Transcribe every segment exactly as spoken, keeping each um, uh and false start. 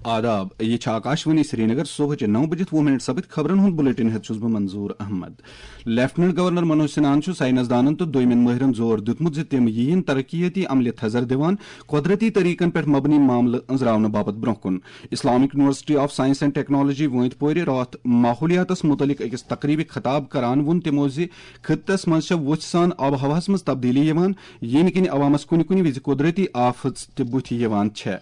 آداب، یہِ چھِ آکاشوانی سرینگر۔ صبحٕچہِ نَو بجِتھ وُہ منٹ سپٕدۍ۔ خبرن ہُنٛد بلیٹن ہٮ۪تھ چھُس بہٕ منظور احمد۔ لیفٹننٹ گورنر منوج سنہاہن چھُ ساینس دانن تہٕ دویمٮ۪ن مٲہرن زور دیُتمُت زِ تِم یِیِن ترقیتی عملہِ تھزر دِوان قۄدرتی طریقن پٮ۪ٹھ مبنی معاملہٕ أنٛزراونہٕ باپتھ برونٛہہ کُن۔ Islamic university of science and technology وٲنٛتۍ پورِ راتھ ماحولیاتس مُتعلق أکِس تقریبہِ خطاب کران ووٚن تِمو زِ خطس منٛز چھےٚ وُژھِ سان آب و ہوہس منٛز تبدیلی یِوان، ییٚمہِ کِنۍ عوامس کُنہِ کُنہِ وِزِ قۄدرتی آفژ تہِ بُتھِ یِوان چھےٚ۔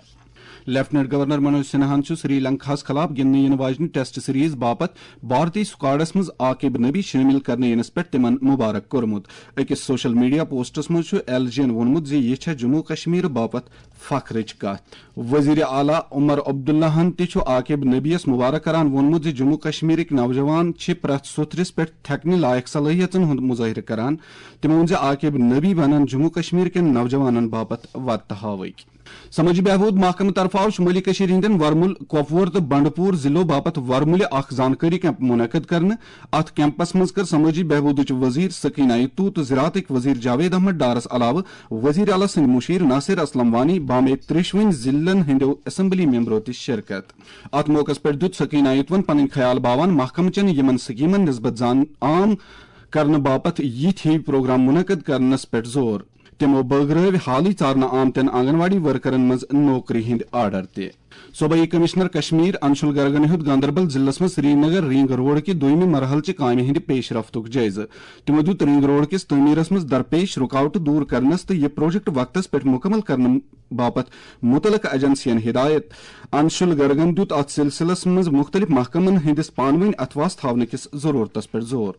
لیفٹننٹ گورنر منوج سنہاہن چھُ سری لنکاہس خلاف گِنٛدنہٕ یِنہٕ واجنہِ ٹیسٹ سیریز باپتھ بھارتی سکواڈس منٛز عاقب نبی شٲمِل کرنہٕ یِنس پٮ۪ٹھ تِمن مبارک کوٚرمُت۔ أکِس سوشل میڈیا پوسٹس منٛز چھُ ایل جی ین ووٚنمُت زِ یہِ چھےٚ جموں کشمیر باپتھ فخرٕچ کتھ۔ وزیر اعلیٰ عمر عبداللہن تہِ چھُ عاقب نبیَس مبارک کران ووٚنمُت زِ جموں کشمیرٕکۍ نوجوان چھِ پرٛٮ۪تھ سوٚتھرِس پٮ۪ٹھ تھٮ۪کنہٕ لایق صلٲحیژن ہُنٛد مظٲہرٕ کران۔ تِمو ووٚن زِ عاقب نبی بنن جموں کشمیر کٮ۪ن نوجوانن باپتھ وتہٕ ہاوٕکۍ۔ سمٲجی بہبود محکمہٕ طرفہٕ آو شمٲلی کٔشیٖرِ ہٕنٛدٮ۪ن ورمُل، کۄپوور تہٕ بنڈپور ضلعو باپتھ ورمُلہِ اکھ زانکٲری کیمپ منعقد کرنہٕ۔ اتھ کیمپس منٛز کٔر سمٲجی بہبودٕچ وزیر سکینہ یتو تہٕ زراعتٕکۍ وزیر جاوید احمد ڈارس علاوٕ وزیر اعلیٰ سٕنٛدۍ مُشیر ناصر اسلم وانی بامیت ترٛیشوٕنۍ ضلعن ہٕنٛدیو اسمبلی ممبرو تہِ شرکت۔ اتھ موقعس پٮ۪ٹھ دیُت سکینہ یتون پنٕنۍ خیال باوان محکمہٕ چٮ۪ن یِمن سکیمن نسبت زان عام کرنہٕ باپتھ یِتھۍ ہِوۍ پروگرام منعقد کرنس پٮ۪ٹھ زور۔ تِمو بٲگرٲوۍ حالٕے ژارنہٕ آمتٮ۪ن آنگن واڑی ورکرن منٛز نوکری ہٕنٛدۍ آرڈر تہِ۔ صوبٲئی کمشنر کشمیر انشول گرگن ہیوٚت گاندربل ضلعس منٛز سرینگر رنگ روڈ کہِ دوٚیمہِ مرحلہٕ چہِ کامہِ ہٕنٛدِ پیش رفتُک جٲیزٕ۔ تِمو دیُت رنگ روڈ کِس تعمیرس منٛز درپیش رُکاوٹہٕ دوٗر کرنس تہٕ یہِ پروجیکٹ وقتس پٮ۪ٹھ مُکمل کرنہٕ باپتھ مُتعلقہٕ ایجنسین ہدایت۔ انشول گرگن دیُت اتھ سلسلس منٛز مُختٔلِف محکمن ہٕنٛدِس پانہٕ وٲنۍ اتھواس تھاونہٕ کِس ضرورتس پٮ۪ٹھ زور۔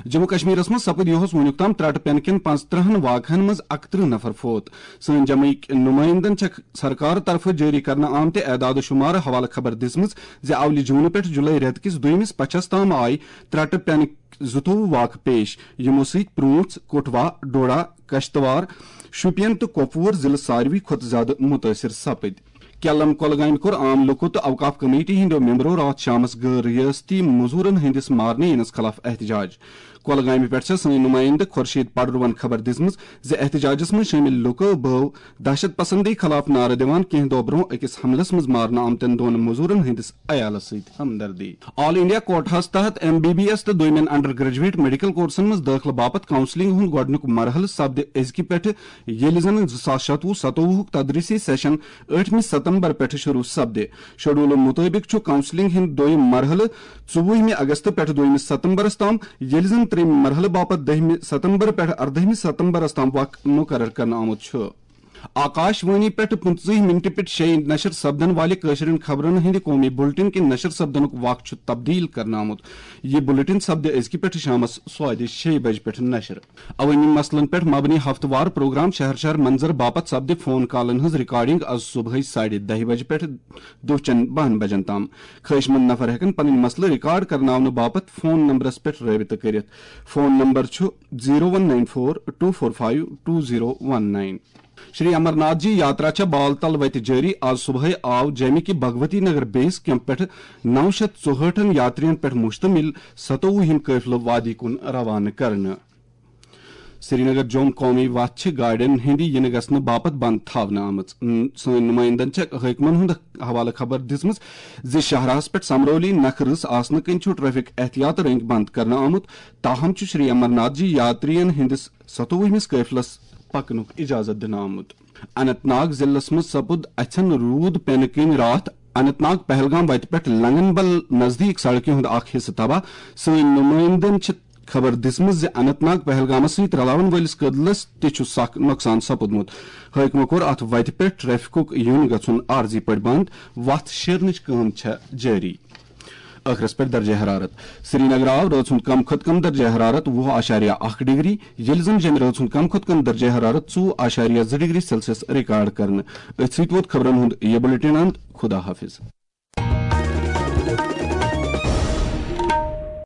جموں کشمیرس منٛز سپٕدۍ یُہُس وُنیُک تام ترٛٹہٕ پٮ۪نہٕ کٮ۪ن پانٛژترٕہن واقعن منٛز اکترٕہ نفر فوت۔ سٲنۍ جمعٕکۍ نُمٲیندن چھےٚ سرکار طرفہٕ جٲری کرنہٕ آمتہِ اعداد و شمارٕ حوالہٕ خبر دِژمٕژ زِ اولہِ جوٗنہٕ پٮ۪ٹھ جُلے رٮ۪تہٕ کِس دوٚیمِس پچھس تام آیہِ ترٛٹہٕ پٮ۪نٕکۍ زٕتووُہ واقعہٕ پیش، یِمو سۭتۍ پرٛونٛژھ، کٹھوا، ڈوڈا، کشتوار، شوپین تہٕ کۄپوور ضلعہٕ ساروی کھۄتہٕ زیادٕ مُتٲثر سپٕدۍ۔ کیلم کۄلگامہِ کوٚر عام لوٗکو تہٕ اوقاف کمیٹی ہٕنٛدیو ممبرو راتھ شامس غٲر ریاستی مٔزوٗرن ہٕنٛدِس مارنہٕ یِنس خلاف احتجاج۔ کۄلگامہِ پٮ۪ٹھ چھےٚ سٲنۍ نُمٲیندٕ خورشید پڈروَن خبر دِژمٕژ زِ احتجاجس منٛز شٲمِل لوٗکو بٲو دہشت پسندی خلاف نعرٕ دِوان کینٛہہ دۄہ برونٛہہ أکِس حملس منٛز مارنہٕ آمتٮ۪ن دۄن مٔزوٗرن ہٕنٛدِس عیالس سۭتۍ ہمدردی۔ آل انڈیا کوٹاہس تحت ایم بی بی ایس تہٕ دوٚیمٮ۪ن انڈر گریجویٹ میڈیکل کورسن منٛز دٲخلہٕ باپتھ کاؤنسلنگ ہُنٛد گۄڈٕنیُک مرحلہٕ سپدِ أزکہِ پٮ۪ٹھٕ ییٚلہِ زن زٕ ساس شتوُہ ستووُہُک تدریسی سیشن ٲٹھمہِ ستمبر پٮ۪ٹھٕ شروع سپدِ۔ شیڈولہٕ مُطٲبِق چھُ کاؤنسلنگ ہُنٛد دوٚیِم مرحلہٕ ژوٚوُہمہِ اگست پٮ۪ٹھٕ دوٚیمہِ ستمبرس تام، ییٚلہِ زن ترٛیٚیِمہِ مرحلہٕ باپتھ دٔہمہِ ستمبر پٮ۪ٹھٕ اردٔہمہِ ستمبرس تام وق مُقرر کرنہٕ آمُت چھُ۔ آکاش وانی پٮ۪ٹھ پٕنٛژٕہمہِ مِنٹہِ پٮ۪ٹھ شیٚیہِ نشر سپدن والہِ کٲشرٮ۪ن خبرن ہٕنٛدِ قومی بُلٹن کہِ نشر سپدنُک وق چھُ تبدیل کرنہٕ آمُت۔ یہِ بُلٹن سپدِ أزکہِ پٮ۪ٹھٕ شامس سوادِ شیٚیہِ بجہِ پٮ۪ٹھ نشر۔ عوٲمی مسلن پٮ۪ٹھ مبنی ہفتہٕ وار پروگرام شہر شہر منظر باپتھ سپدِ فون کالن ہٕنٛز ریکارڈنگ از صبحٲے ساڑِ دَہہِ بجہِ پٮ۪ٹھ دُہچٮ۪ن بَہَن بجن تام۔ خٲہِشمند نفر ہٮ۪کن پنٕنۍ مسلہٕ ریکارڈ کرناونہٕ باپتھ فون نمبرس پٮ۪ٹھ رٲبطہٕ کٔرِتھ۔ فون نمبر چھُ zero one nine four two four five two zero one nine. Shri Amarnath ji yatra چھےٚ بال تل وتہِ جٲری۔ آز صبحٲے آو جیمہِ کہِ بھگوتی نگر بیس کیمپ پٮ۪ٹھٕ نو شیتھ ژُہٲٹھن یاترین پٮ۪ٹھ مشتمل ستووُہِم قٲفلہٕ وادی کُن روانہٕ کرنہٕ۔ سرینگر جوم قومی وتھ چھِ گاڑٮ۪ن ہٕنٛدِ یِنہٕ گژھنہٕ باپتھ بند تھاونہٕ آمٕژ۔ ن-، سٲنۍ نُمٲیندن چھےٚ حٲکمن ہُنٛد حوالہٕ خبر دِژمٕژ زِ شاہراہس پٮ۪ٹھ سمرولی نکھٕ رٕژ آسنہٕ کِنۍ چھُ ٹریفک احتیاط رٔنگۍ بند کرنہٕ آمُت، تاہم چھُ شری امرناتھ جی یاترین ہٕنٛدِس ستووُہمِس قٲفلس پکنُک اجازت دِنہٕ آمُت۔ اننت ناگ ضلعس منٛز سپُد اَژھن روٗد پینہٕ کِنۍ راتھ اننت ناگ پہلگام وتہِ پٮ۪ٹھ لنگن بل نزدیٖک سڑکہِ ہُنٛد اکھ حصہٕ تباہ۔ سٲنۍ نُمٲیندن چھِ خبر دِژمٕژ زِ اننت ناگ پہلگامس سۭتۍ رلاون وٲلِس کٔدلس تہِ چھُ سخ نۄقصان سپُدمُت۔ حٲکمو کوٚر اتھ وتہِ پٮ۪ٹھ ٹریفکُک یُن گژھُن عارضی پٲٹھۍ بند۔ وتھ شیرنٕچ کٲم چھےٚ جٲری۔ ٲخرس پٮ۪ٹھ درجہ حرارت۔ سرینگر آو رٲژ ہُنٛد کم کھۄتہٕ کم درجہ حرارت وُہ اعشاریہ اکھ ڈگری، ییٚلہِ زن جیٚمہِ رٲژ ہُنٛد کم کھۄتہٕ کم درجہ حرارت ژوٚوُہ اعشاریہ زٕ ڈگری سیلسیس ریکارڈ کرنہٕ۔ أتھۍ سۭتۍ ووت خبرن ہُنٛد یہِ بُلٹن اند۔ خدا حافظ۔